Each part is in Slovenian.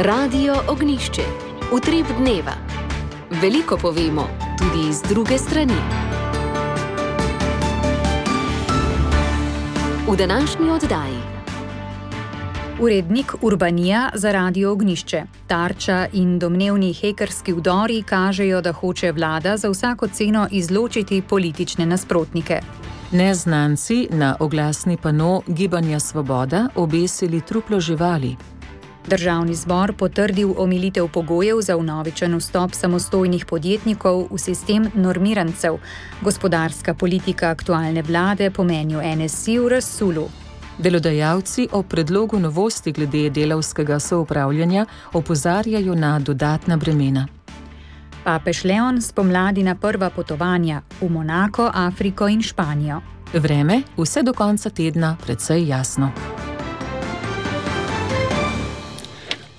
Radio Ognjišče. Utrip dneva. Veliko povemo, tudi iz druge strani. V današnji oddaji. Urednik Urbanija za Radio Ognjišče. Tarča in domnevni hekerski vdori kažejo, da hoče vlada za vsako ceno izločiti politične nasprotnike. Neznanci na oglasni pano Gibanja Svoboda obesili truplo živali. Državni zbor potrdil omilitev pogojev za vnovičen vstop samostojnih podjetnikov v sistem normirancev. Gospodarska politika aktualne vlade po mnenju NSI v razsulu. Delodajalci o predlogu novosti glede delavskega soupravljanja opozarjajo na dodatna bremena. Papež Leon spomladi na prva potovanja v Monako, Afriko in Španijo. Vreme vse do konca tedna precej jasno.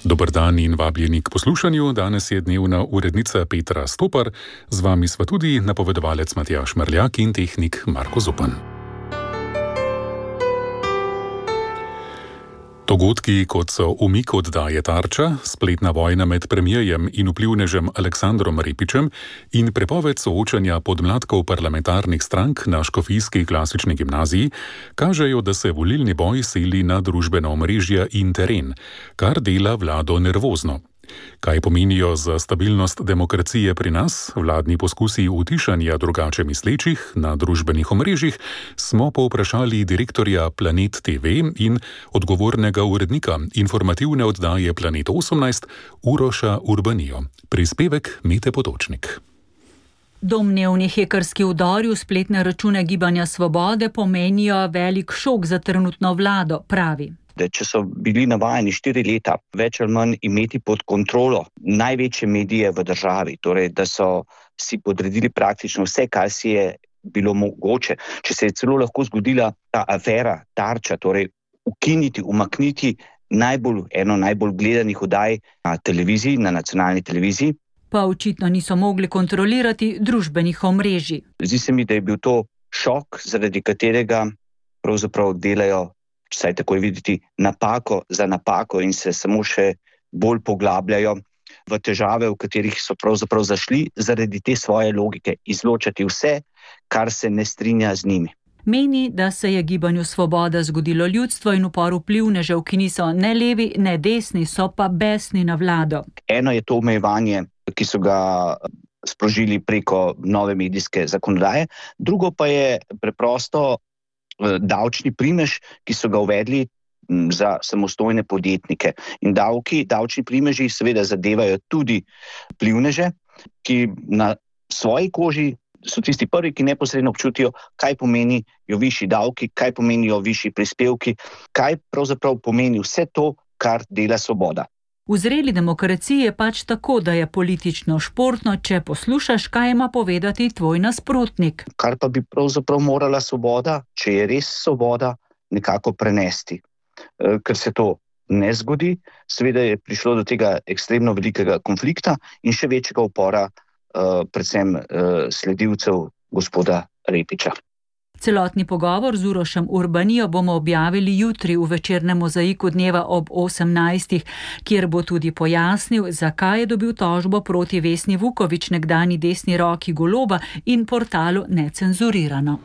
Dober dan in vabljeni k poslušanju. Danes je dnevna urednica Petra Stopar, z vami sva tudi napovedovalec Matjaž Marljak in tehnik Marko Zupan. Dogodki, kot so umik oddaje Tarča, spletna vojna med premierjem in vplivnežem Aleksandrom Repičem in prepoved soočanja podmladkov parlamentarnih strank na škofijski klasični gimnaziji, kažejo, da se volilni boj seli na družbena omrežja in teren, kar dela vlado nervozno. Kaj pomenijo za stabilnost demokracije pri nas vladni poskusi utišanja drugače mislečih na družbenih omrežjih, smo povprašali direktorja Planet TV in odgovornega urednika informativne oddaje Planet 18 Uroša Urbanijo. Prispevek Mete Potočnik. Domnevni hekerski vdori v spletne račune Gibanja Svobode pomenijo velik šok za trenutno vlado, pravi. Če so bili navajeni 4 leta več ali manj imeti pod kontrolo največje medije v državi, torej da so si podredili praktično vse, kar si je bilo mogoče, če se je celo lahko zgodila ta afera Tarča, torej umakniti eno najbolj gledanih oddaj na televiziji, na nacionalni televiziji. Pa očitno niso mogli kontrolirati družbenih omrežij. Zdi se mi, da je bil to šok, zaradi katerega pravzaprav delajo, vsaj tako je videti, napako za napako in se samo še bolj poglabljajo v težave, v katerih so pravzaprav zašli zaradi te svoje logike, izločati vse, kar se ne strinja z njimi. Meni, da se je Gibanju Svoboda zgodilo ljudstvo in upor vplivnežev, ki niso ne levi, ne desni, so pa besni na vlado. Eno je to omejevanje, ki so ga sprožili preko nove medijske zakonodaje, drugo pa je preprosto davčni primež, ki so ga uvedli za samostojne podjetnike. In davčni primeži seveda zadevajo tudi vplivneže, ki na svoji koži so tisti prvi, ki neposredno občutijo, kaj pomenijo višji davki, kaj pomenijo višji prispevki, kaj pravzaprav pomeni vse to, kar dela Svoboda. V zreli demokraciji je pač tako, da je politično športno, če poslušaš, kaj ima povedati tvoj nasprotnik. Kar pa bi pravzaprav morala Svoboda, če je res Svoboda, nekako prenesti. Ker se to ne zgodi, seveda je prišlo do tega ekstremno velikega konflikta in še večjega upora predvsem sledilcev gospoda Repiča. Celotni pogovor z Urošem Urbanijo bomo objavili jutri v večernem mozaiku dneva ob 18, kjer bo tudi pojasnil, zakaj je dobil tožbo proti Vesni Vuković, nekdanji desni roki Goloba in portalu Necenzurirano.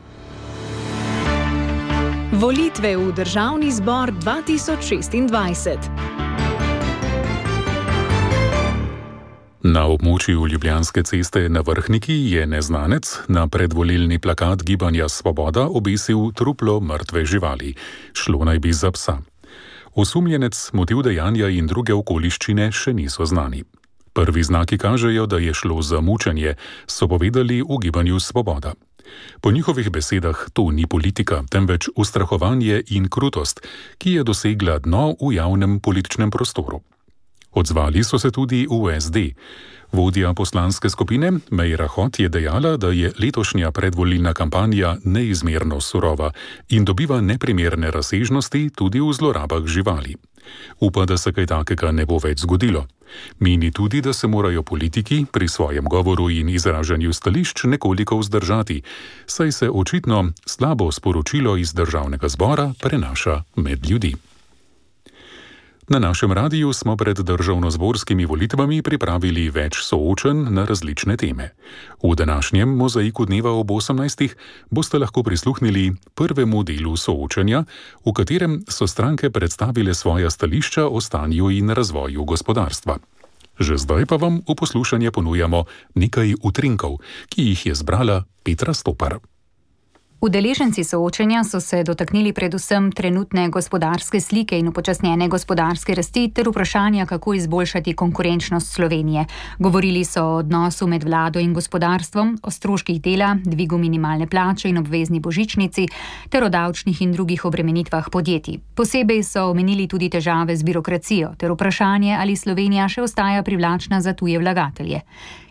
Volitve v Državni zbor 2026. Na območju Ljubljanske ceste na Vrhniki je neznanec na predvolilni plakat Gibanja Svoboda obesil truplo mrtve živali. Šlo naj bi za psa. Osumljenec, motiv dejanja in druge okoliščine še niso znani. Prvi znaki kažejo, da je šlo za mučenje, so povedali v Gibanju Svoboda. Po njihovih besedah to ni politika, temveč ustrahovanje in krutost, ki je dosegla dno v javnem političnem prostoru. Odzvali so se tudi v SD. Vodja poslanske skupine Meira Hot je dejala, da je letošnja predvolilna kampanja neizmerno surova in dobiva neprimerne razsežnosti tudi v zlorabah živali. Upa, da se kaj takega ne bo več zgodilo. Meni tudi, da se morajo politiki pri svojem govoru in izražanju stališč nekoliko vzdržati, saj se očitno slabo sporočilo iz Državnega zbora prenaša med ljudi. Na našem radiju smo pred državnozborskimi volitvami pripravili več soočenj na različne teme. V današnjem mozaiku dneva ob 18. boste lahko prisluhnili prvemu delu soočenja, v katerem so stranke predstavile svoja stališča o stanju in razvoju gospodarstva. Že zdaj pa vam v poslušanje ponujamo nekaj utrinkov, ki jih je zbrala Petra Stopar. Udeleženci soočenja so se dotaknili predvsem trenutne gospodarske slike in upočasnjene gospodarske rasti ter vprašanja, kako izboljšati konkurenčnost Slovenije. Govorili so o odnosu med vlado in gospodarstvom, o stroških dela, dvigu minimalne plače in obvezni božičnici ter o davčnih in drugih obremenitvah podjetij. Posebej so omenili tudi težave z birokracijo ter vprašanje, ali Slovenija še ostaja privlačna za tuje vlagatelje.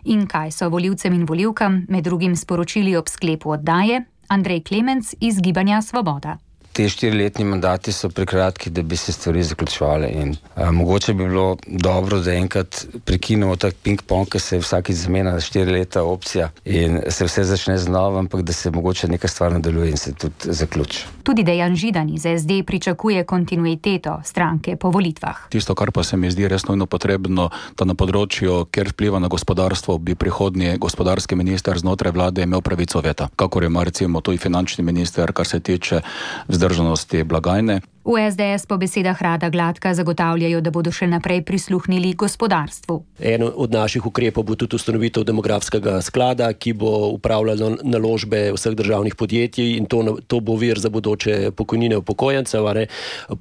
In kaj so volivcem in volivkam med drugim sporočili ob sklepu oddaje? Andrej Klemenc iz Gibanja Svoboda. Te 4-letni mandati so prekratki, da bi se stvari zaključovale in mogoče bi bilo dobro, da enkrat prekinemo tak ping-pong, ki se vsakič zamenja na 4 leta opcija in se vse začne znova, ampak da se mogoče neka stvar nadaljuje in se tudi zaključi. Tudi Dejan Židan iz SD pričakuje kontinuiteto stranke po volitvah. Tisto, kar pa se mi zdi res nujno potrebno, da na področju, kjer vpliva na gospodarstvo, bi prihodnji gospodarski minister znotraj vlade imel pravico veta, kakor ima recimo tudi finančni minister, kar se tiče vzdržnosti blagajne. V SDS po besedah Rada Gladka zagotavljajo, da bodo še naprej prisluhnili gospodarstvu. En od naših ukrepov bo tudi ustanovitev demografskega sklada, ki bo upravljal naložbe vseh državnih podjetij in to bo vir za bodoče pokojnine upokojencev.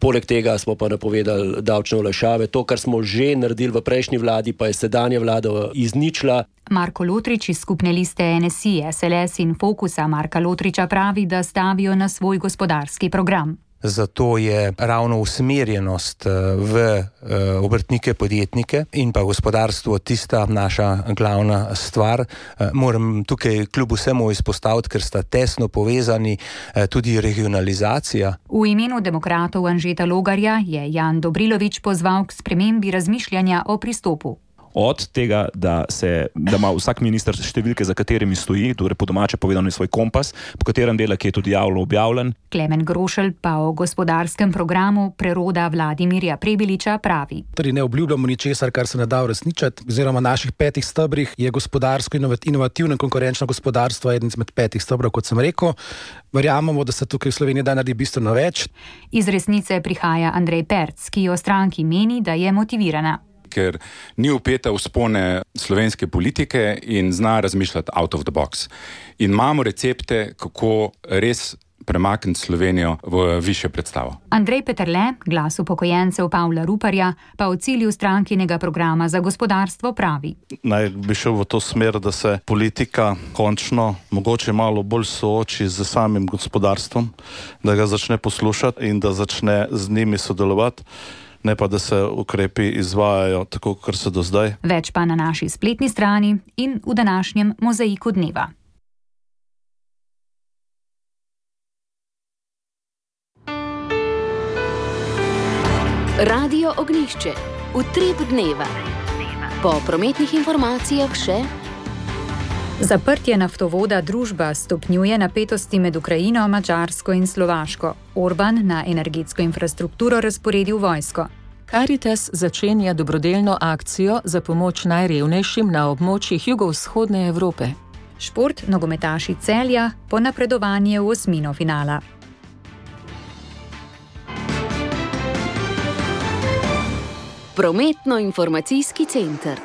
Poleg tega smo pa napovedali davčne olajšave. To, kar smo že naredili v prejšnji vladi, pa je sedanja vlada izničila. Marko Lotrič iz skupne liste NSI, SLS in Fokusa Marka Lotriča pravi, da stavijo na svoj gospodarski program. Zato je ravno usmerjenost v obrtnike, podjetnike in pa gospodarstvo tista naša glavna stvar. Moram tukaj kljub vsemu izpostaviti, ker sta tesno povezani, tudi regionalizacija. V imenu demokratov Anžeta Logarja je Jan Dobrilović pozval k spremembi razmišljanja o pristopu. Od tega, da ima vsak minister številke, za katerimi stoji, torej po domače povedano svoj kompas, po katerem dela, ki je tudi javno objavljen. Klemen Grošelj pa o gospodarskem programu preroda Vladimirja Prebiliča pravi. Torej ne obljubljamo ničesar, kar se ne da uresničiti. Oziroma naših 5 stebrih je gospodarsko inovativno in konkurenčno gospodarstvo eden izmed 5 stebrov, kot sem rekel. Verjamemo, da se tukaj v Sloveniji da naredi bistveno več. Iz Resnice prihaja Andrej Perc, ki o stranki meni, da je motivirana. Ker ni vpeta v spone slovenske politike in zna razmišljati out of the box. In imamo recepte, kako res premakniti Slovenijo v višjo predstavo. Andrej Peterle, glas upokojencev Pavla Ruparja, pa o cilju strankinega programa za gospodarstvo pravi. Naj bi šel v to smer, da se politika končno mogoče malo bolj sooči z samim gospodarstvom, da ga začne poslušati in da začne z njimi sodelovati. Ne pa, da se ukrepi izvajajo tako, kot so do zdaj. Več pa na naši spletni strani in v današnjem mozaiku dneva. Radio Ognjišče. Utrip dneva. Po prometnih informacijah še. Zaprtje naftovoda Družba stopnjuje napetosti med Ukrajino, Madžarsko in Slovaško. Orban na energetsko infrastrukturo razporedil vojsko. Karitas začenja dobrodelno akcijo za pomoč najrevnejšim na območjih jugovzhodne Evrope. Šport, nogometaši Celja po napredovanju v osmino finala. Prometno-informacijski center.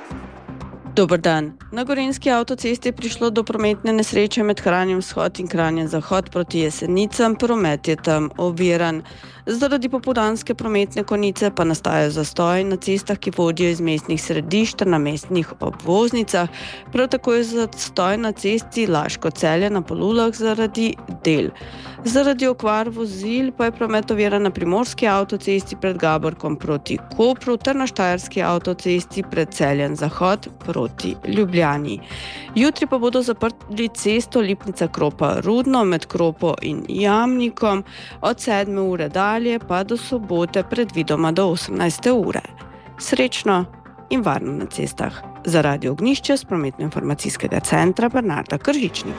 Dober dan. Na Gorenjski avtocesti je prišlo do prometne nesreče med Kranjem vzhod in Kranjem zahod proti Jesenicam. Promet je tam oviran. Zaradi popoldanske prometne konice pa nastajajo zastoji na cestah, ki vodijo iz mestnih središč ter na mestnih obvoznicah. Prav tako je zastoj na cesti Laško-Celje na Polulah zaradi del. Zaradi okvar vozil pa je promet oviran na Primorski avtocesti pred Gaborkom proti Kopru ter na Štajerski avtocesti pred Celjem zahod proti Ljubljani. Jutri pa bodo zaprli cesto Lipnica-Kropa-Rudno med Kropo in Jamnikom od 7. ure dalje pa do sobote predvidoma do 18. ure. Srečno in varno na cestah. Za Radio Ognjišče s prometno-informacijskega centra Bernarda Kržičnik.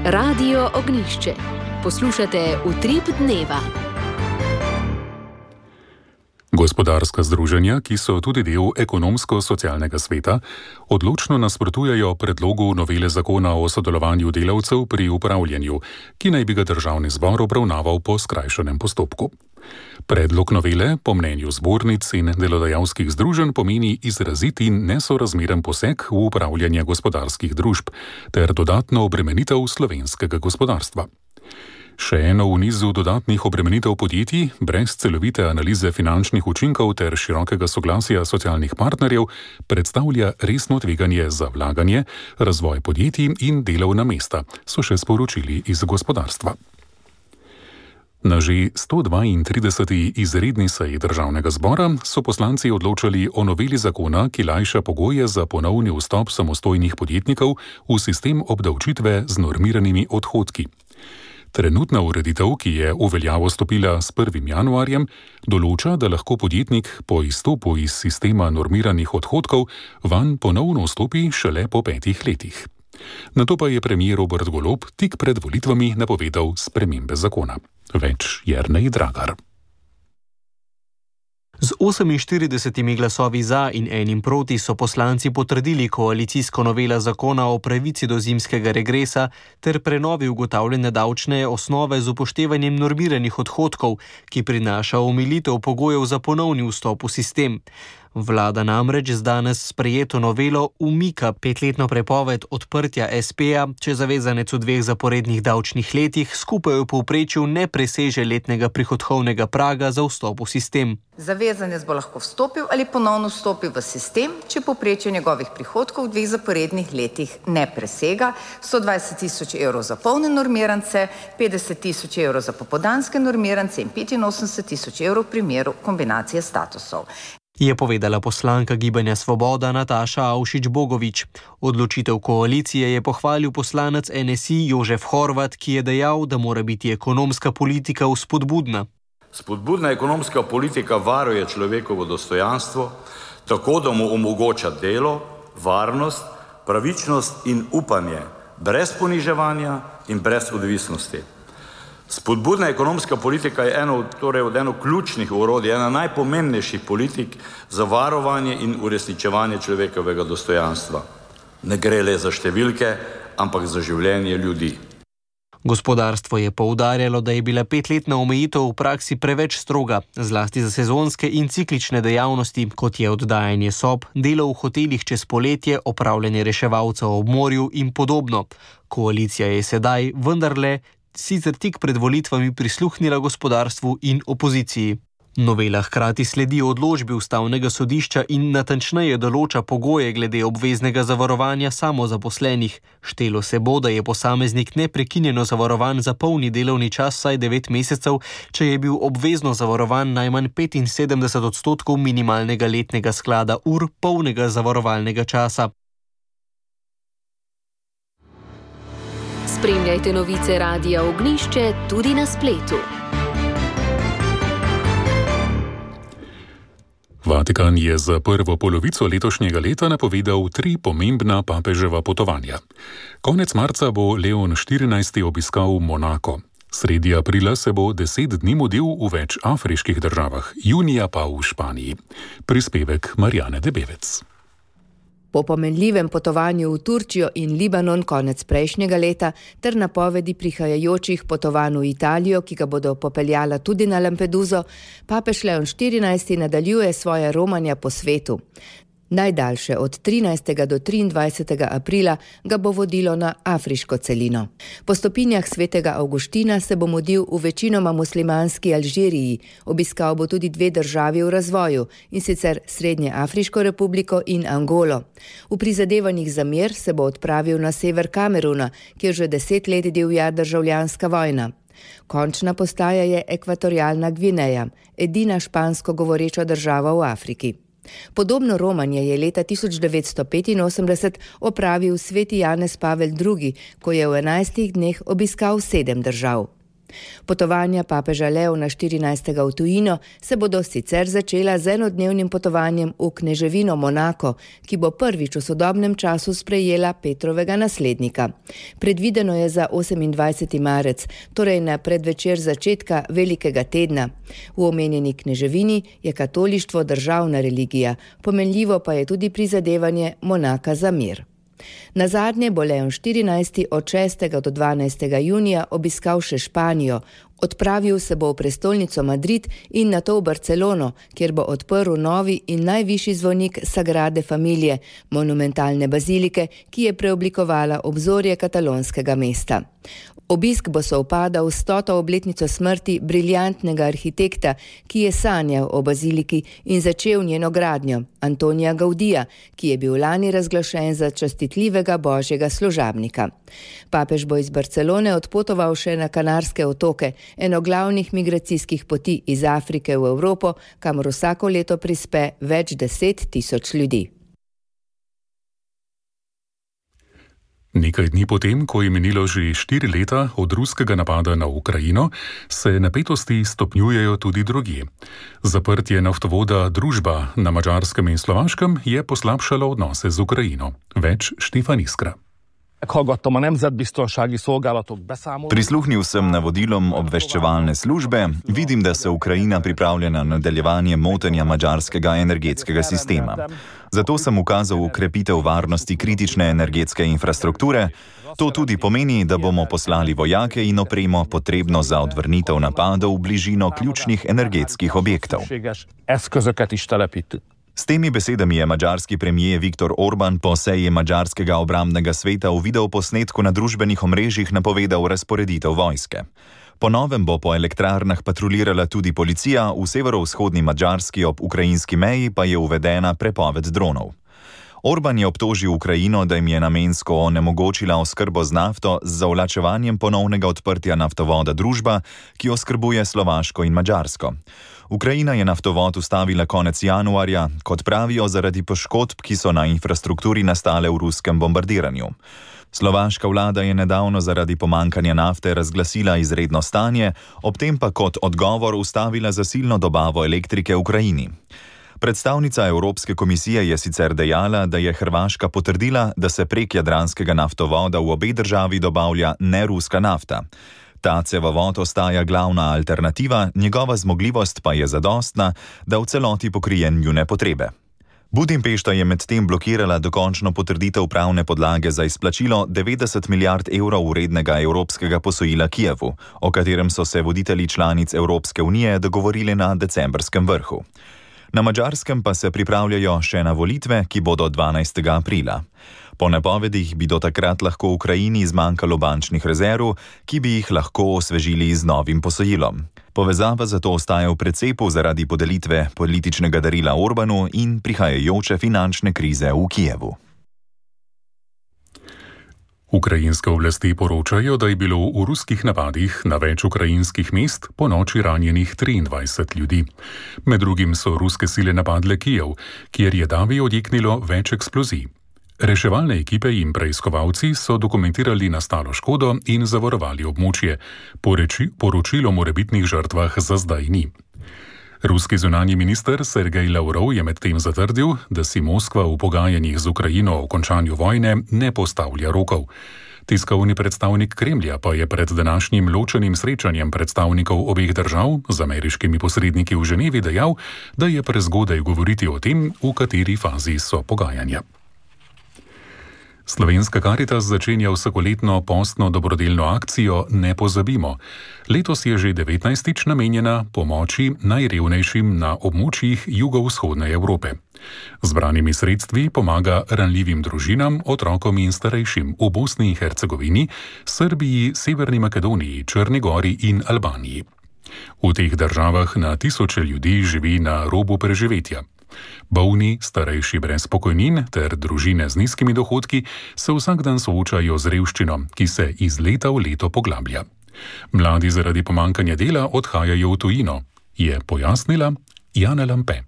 Radio Ognjišče. Poslušate Utrip dneva. Gospodarska združenja, ki so tudi del ekonomsko-socialnega sveta, odločno nasprotujejo predlogu novele zakona o sodelovanju delavcev pri upravljanju, ki naj bi ga državni zbor obravnaval po skrajšanem postopku. Predlog novele, po mnenju zbornic in delodajalskih združenj, pomeni izrazit in nesorazmeren poseg v upravljanje gospodarskih družb ter dodatno obremenitev slovenskega gospodarstva. Še eno v nizu dodatnih obremenitev podjetij, brez celovite analize finančnih učinkov ter širokega soglasja socialnih partnerjev, predstavlja resno tveganje za vlaganje, razvoj podjetij in delovna mesta, so še sporočili iz gospodarstva. Na že 132. izredni seji državnega zbora so poslanci odločali o noveli zakona, ki lajša pogoje za ponovni vstop samostojnih podjetnikov v sistem obdavčitve z normiranimi odhodki. Trenutna ureditev, ki je v veljavo stopila s 1. januarjem, določa, da lahko podjetnik po izstopu iz sistema normiranih odhodkov vanj ponovno vstopi šele po 5 letih. Nato pa je premier Robert Golob tik pred volitvami napovedal spremembe zakona. Več Jernej Dragar. Z 48 glasovi za in enim proti so poslanci potrdili koalicijsko novelo zakona o pravici do zimskega regresa ter prenovi ugotavljanja davčne osnove z upoštevanjem normiranih odhodkov, ki prinaša omilitev pogojev za ponovni vstop v sistem. Vlada namreč z danes sprejeto novelo umika 5-letno prepoved odprtja SP-ja, če zavezanec v 2 zaporednih davčnih letih skupaj v povprečju ne preseže letnega prihodkovnega praga za vstop v sistem. Zavezanec bo lahko vstopil ali ponovno vstopil v sistem, če povprečje njegovih prihodkov v 2 zaporednih letih ne presega 120 000 evrov za polne normirance, 50 000 evrov za popoldanske normirance in 85 000 evrov v primeru kombinacije statusov. Je povedala poslanka Gibanja Svoboda Nataša Avšič-Bogovič. Odločitev koalicije je pohvalil poslanec NSI Jožef Horvat, ki je dejal, da mora biti ekonomska politika vzpodbudna. Spodbudna ekonomska politika varuje človekovo dostojanstvo, tako da mu omogoča delo, varnost, pravičnost in upanje, brez poniževanja in brez odvisnosti. Spodbudna ekonomska politika je eno ključnih orodij, ena najpomembnejših politik za varovanje in uresničevanje človekovega dostojanstva. Ne gre le za številke, ampak za življenje ljudi. Gospodarstvo je poudarjalo, da je bila 5-letna omejitev v praksi preveč stroga, zlasti za sezonske in ciklične dejavnosti, kot je oddajanje sob, delo v hotelih čez poletje, opravljanje reševalcev ob morju in podobno. Koalicija je sedaj vendarle sicer tik pred volitvami prisluhnila gospodarstvu in opoziciji. Novela hkrati sledi odločbi Ustavnega sodišča in natančneje določa pogoje glede obveznega zavarovanja samozaposlenih. Štelo se bo, da je posameznik neprekinjeno zavarovan za polni delovni čas vsaj 9 mesecev, če je bil obvezno zavarovan najmanj 75% minimalnega letnega sklada ur polnega zavarovalnega časa. Spremljajte novice Radia Ognjišče tudi na spletu. Vatikan je za prvo polovico letošnjega leta napovedal 3 pomembna papeževa potovanja. Konec marca bo Leon XIV obiskal Monako. Sredi aprila se bo 10 dni mudil v več afriških državah, junija pa v Španiji. Prispevek Marjane Debevec. Po pomenljivem potovanju v Turčijo in Libanon konec prejšnjega leta ter napovedi prihajajočih potovanj v Italijo, ki ga bodo popeljala tudi na Lampeduso, papež Leon XIV nadaljuje svoje romanja po svetu. Najdaljše od 13. do 23. aprila ga bo vodilo na afriško celino. Po stopinjah svetega Avguština se bo mudil v večinoma muslimanski Alžiriji, obiskal bo tudi 2 državi v razvoju, in sicer Srednjeafriško republiko in Angolo. V prizadevanjih za mir se bo odpravil na sever Kameruna, kjer že 10 let divja državljanska vojna. Končna postaja je Ekvatorialna Gvineja, edina špansko govoreča država v Afriki. Podobno romanje je leta 1985 opravil sveti Janez Pavel II, ko je v 11 dneh obiskal 7 držav. Potovanja papeža Leona 14. v tujino se bodo sicer začela z enodnevnim potovanjem v kneževino Monako, ki bo prvič v sodobnem času sprejela Petrovega naslednika. Predvideno je za 28. marec, torej na predvečer začetka velikega tedna. V omenjeni kneževini je katolištvo državna religija, pomenljivo pa je tudi prizadevanje Monaka za mir. Nazadnje bo Leon 14. od 6. do 12. junija obiskal še Španijo. Odpravil se bo v prestolnico Madrid in nato v Barcelono, kjer bo odprl novi in najvišji zvonik Sagrade Familie, monumentalne bazilike, ki je preoblikovala obzorje katalonskega mesta. Obisk bo sovpadal s 100. obletnico smrti briljantnega arhitekta, ki je sanjal o baziliki in začel njeno gradnjo, Antonija Gaudija, ki je bil lani razglašen za častitljivega božjega služabnika. Papež bo iz Barcelone odpotoval še na Kanarske otoke, eno glavnih migracijskih poti iz Afrike v Evropo, kamor vsako leto prispe več 10.000 ljudi. Nekaj dni potem, ko je minilo že 4 leta od ruskega napada na Ukrajino, se napetosti stopnjujejo tudi drugje. Zaprtje naftovoda Družba na Madžarskem in Slovaškem je poslabšalo odnose z Ukrajino. Več Štefan Iskra. Prisluhnil sem navodilom obveščevalne službe, vidim, da se Ukrajina pripravlja na nadaljevanje motenja madžarskega energetskega sistema. Zato sem ukazal ukrepitev varnosti kritične energetske infrastrukture. To tudi pomeni, da bomo poslali vojake in opremo potrebno za odvrnitev napadov v bližino ključnih energetskih objektov. S temi besedami je madžarski premier Viktor Orban po seji madžarskega obrambnega sveta v videoposnetku na družbenih omrežjih napovedal razporeditev vojske. Po novem bo po elektrarnah patrulirala tudi policija, v severovzhodni Madžarski ob ukrajinski meji pa je uvedena prepoved dronov. Orban je obtožil Ukrajino, da jim je namensko onemogočila oskrbo z nafto z zavlačevanjem ponovnega odprtja naftovoda Družba, ki oskrbuje Slovaško in Madžarsko. Ukrajina je naftovod ustavila konec januarja, kot pravijo, zaradi poškodb, ki so na infrastrukturi nastale v ruskem bombardiranju. Slovaška vlada je nedavno zaradi pomankanja nafte razglasila izredno stanje, ob tem pa kot odgovor ustavila zasilno dobavo elektrike Ukrajini. Predstavnica Evropske komisije je sicer dejala, da je Hrvaška potrdila, da se prek jadranskega naftovoda v obe državi dobavlja neruska nafta. Ta cevovod ostaja glavna alternativa, njegova zmogljivost pa je zadostna, da v celoti pokrije njune potrebe. Budimpešta je medtem blokirala dokončno potrditev pravne podlage za izplačilo 90 milijard evrov vrednega evropskega posojila Kijevu, o katerem so se voditelji članic Evropske unije dogovorili na decembrskem vrhu. Na Madžarskem pa se pripravljajo še na volitve, ki bodo 12. aprila. Po napovedih bi do takrat lahko Ukrajini zmanjkalo bančnih rezerv, ki bi jih lahko osvežili z novim posojilom. Povezava zato ostaja v precepu zaradi podelitve političnega darila Orbanu in prihajajoče finančne krize v Kijevu. Ukrajinske oblasti poročajo, da je bilo v ruskih napadih na več ukrajinskih mest po noči ranjenih 23 ljudi. Med drugim so ruske sile napadle Kijev, kjer je davi odjeknilo več eksplozij. Reševalne ekipe in preiskovalci so dokumentirali nastalo škodo in zavarovali območje. Poročilo o morebitnih žrtvah za zdaj ni. Ruski zunanji minister Sergej Lavrov je medtem zatrdil, da si Moskva v pogajanjih z Ukrajino o končanju vojne ne postavlja rokov. Tiskovni predstavnik Kremlja pa je pred današnjim ločenim srečanjem predstavnikov obeh držav z ameriškimi posredniki v Ženevi dejal, da je prezgodaj govoriti o tem, v kateri fazi so pogajanja. Slovenska Karitas začenja vsakoletno postno dobrodelno akcijo Ne pozabimo. Letos je že 19. namenjena pomoči najrevnejšim na območjih jugovzhodne Evrope. Zbranimi sredstvi pomaga ranljivim družinam, otrokom in starejšim v Bosni in Hercegovini, Srbiji, Severni Makedoniji, Črni Gori in Albaniji. V teh državah na tisoče ljudi živi na robu preživetja. Bolni, starejši brez pokojnin ter družine z nizkimi dohodki se vsak dan soočajo z revščino, ki se iz leta v leto poglablja. Mladi zaradi pomankanja dela odhajajo v tujino, je pojasnila Jana Lampe.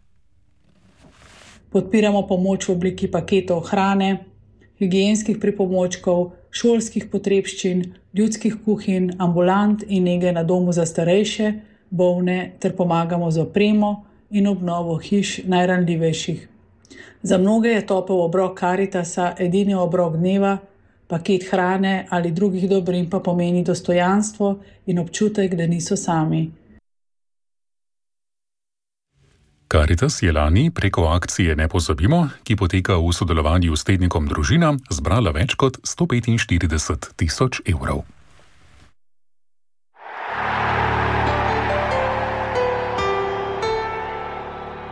Podpiramo pomoč v obliki paketov hrane, higienskih pripomočkov, šolskih potrebščin, ljudskih kuhinj, ambulant in nege na domu za starejše, bolne ter pomagamo z opremo in obnovo hiš najranljivejših. Za mnoge je topel obrok Karitasa edini obrok dneva, paket hrane ali drugih dobrin pa pomeni dostojanstvo in občutek, da niso sami. Karitas je lani preko akcije Ne pozabimo, ki poteka v sodelovanju s tednikom Družina, zbrala več kot 145 tisoč evrov.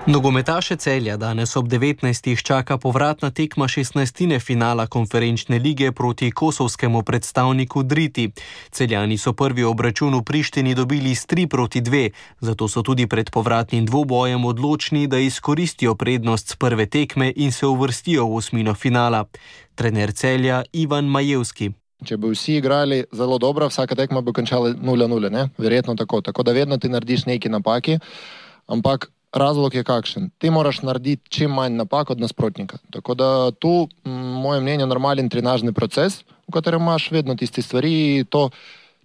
Nogometaše Celja danes ob 19. čaka povratna tekma 16. finala konferenčne lige proti kosovskemu predstavniku Driti. Celjani so prvi obračun v Prištini dobili s 3-2, zato so tudi pred povratnim dvobojem odločni, da izkoristijo prednost z prve tekme in se uvrstijo v osmino finala. Trener Celja Ivan Majevski. Če bi vsi igrali zelo dobro, vsaka tekma bi končala 0-0, ne? Verjetno tako. Tako da vedno ti narediš neki napaki, ampak razlog je kakšen. Ti moraš narediti čim manj napak od nasprotnika. Tako da tu, moje mnenje, normalen trenažni proces, v katerem imaš vedno tiste stvari, to,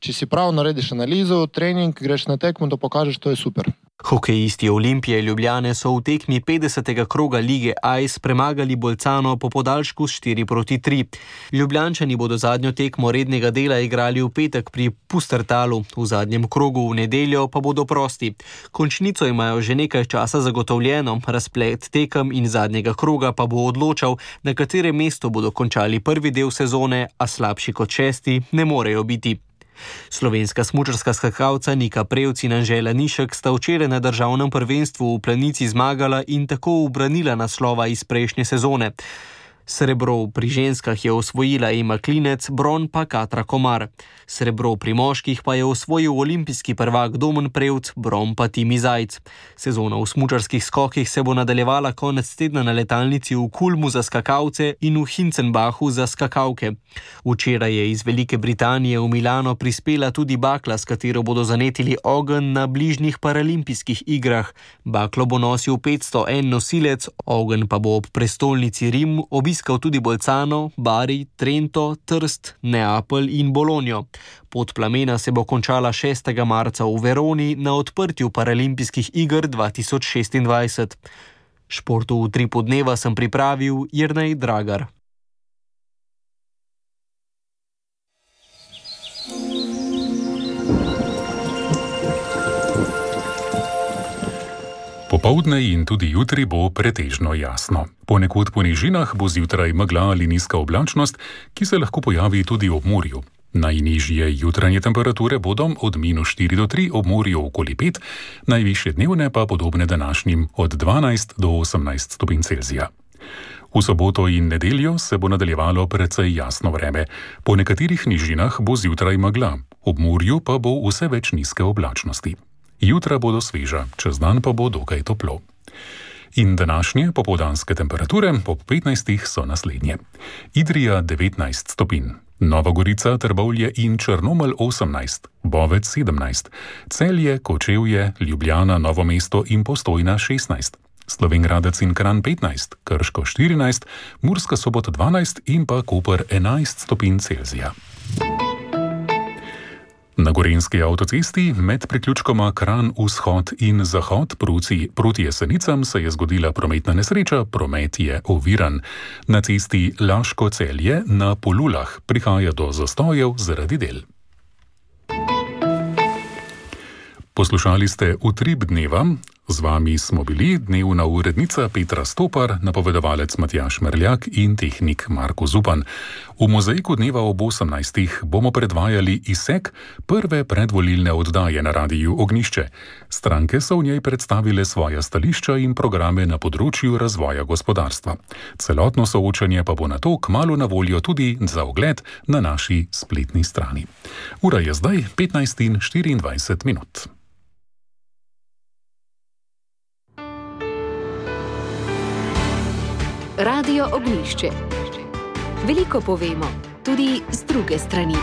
če si prav narediš analizo, trening, greš na tekmo, to pokažeš, to je super. Hokejisti Olimpije Ljubljane so v tekmi 50. kroga lige AIS premagali Bolcano po podaljšku s 4-3. Ljubljančani bodo zadnjo tekmo rednega dela igrali v petek pri Pustertalu, v zadnjem krogu v nedeljo pa bodo prosti. Končnico imajo že nekaj časa zagotovljeno, razplet tekem in zadnjega kroga pa bo odločal, na katerem mestu bodo končali prvi del sezone, a slabši kot 6. ne morejo biti. Slovenska smučarska skakalca Nika Prevc in Anžela Nišek sta včeraj na državnem prvenstvu v Planici zmagala in tako ubranila naslova iz prejšnje sezone. Srebro pri ženskah je osvojila Ema Klinec, bron pa Katra Komar. Srebro pri moških pa je osvojil olimpijski prvak Domen Prevc, bron pa Timi Zajc. Sezona v smučarskih skokih se bo nadaljevala konec tedna na letalnici v Kulmu za skakalce in v Hinzenbachu za skakalke. Včeraj je iz Velike Britanije v Milano prispela tudi bakla, s katero bodo zanetili ogenj na bližnjih paralimpijskih igrah. Baklo bo nosil 501 nosilec, ogenj pa bo ob prestolnici Rim obiskal tudi Bolcano, Bari, Trento, Trst, Neapelj in Bologno. Pot plamena se bo končala 6. marca v Veroni na odprtju paralimpijskih iger 2026. Športu v Utripu dneva sem pripravil Jernej Dragar. Popoldne in tudi jutri bo pretežno jasno. Ponekod po nižinah bo zjutraj megla ali nizka oblačnost, ki se lahko pojavi tudi ob morju. Najnižje jutranje temperature bodo od -4 do 3, ob morju okoli 5, najvišje dnevne pa podobne današnjim od 12 do 18 stopinj Celzija. V soboto in nedeljo se bo nadaljevalo precej jasno vreme. Po nekaterih nižinah bo zjutraj megla, ob morju pa bo vse več nizke oblačnosti. Jutra bodo sveža, čez dan pa bo dokaj toplo. In današnje popoldanske temperature ob 15 so naslednje. Idrija 19 stopinj, Nova Gorica, Trbovlje in Črnomelj 18, Bovec 17, Celje, Kočevje, Ljubljana, Novo mesto in Postojna 16, Slovenj Gradec in Kranj 15, Krško 14, Murska Sobota 12 in pa Koper 11 stopinj Celzija. Na Gorenjski avtocesti med priključkoma Kranj vzhod in zahod proti Jesenicam se je zgodila prometna nesreča, promet je oviran. Na cesti Laško-Celje na Polulah prihaja do zastojev zaradi del. Poslušali ste Utrip dneva, z vami smo bili dnevna urednica Petra Stopar, napovedovalec Matjaž Merljak in tehnik Marko Zupan. V mozaiku dneva ob 18. bomo predvajali izsek prve predvolilne oddaje na radiju Ognišče. Stranke so v njej predstavile svoja stališča in programe na področju razvoja gospodarstva. Celotno soočanje pa bo nato kmalu na voljo tudi za ogled na naši spletni strani. Ura je zdaj 15:24. Radio Ognišče. Veliko povemo, tudi z druge strani.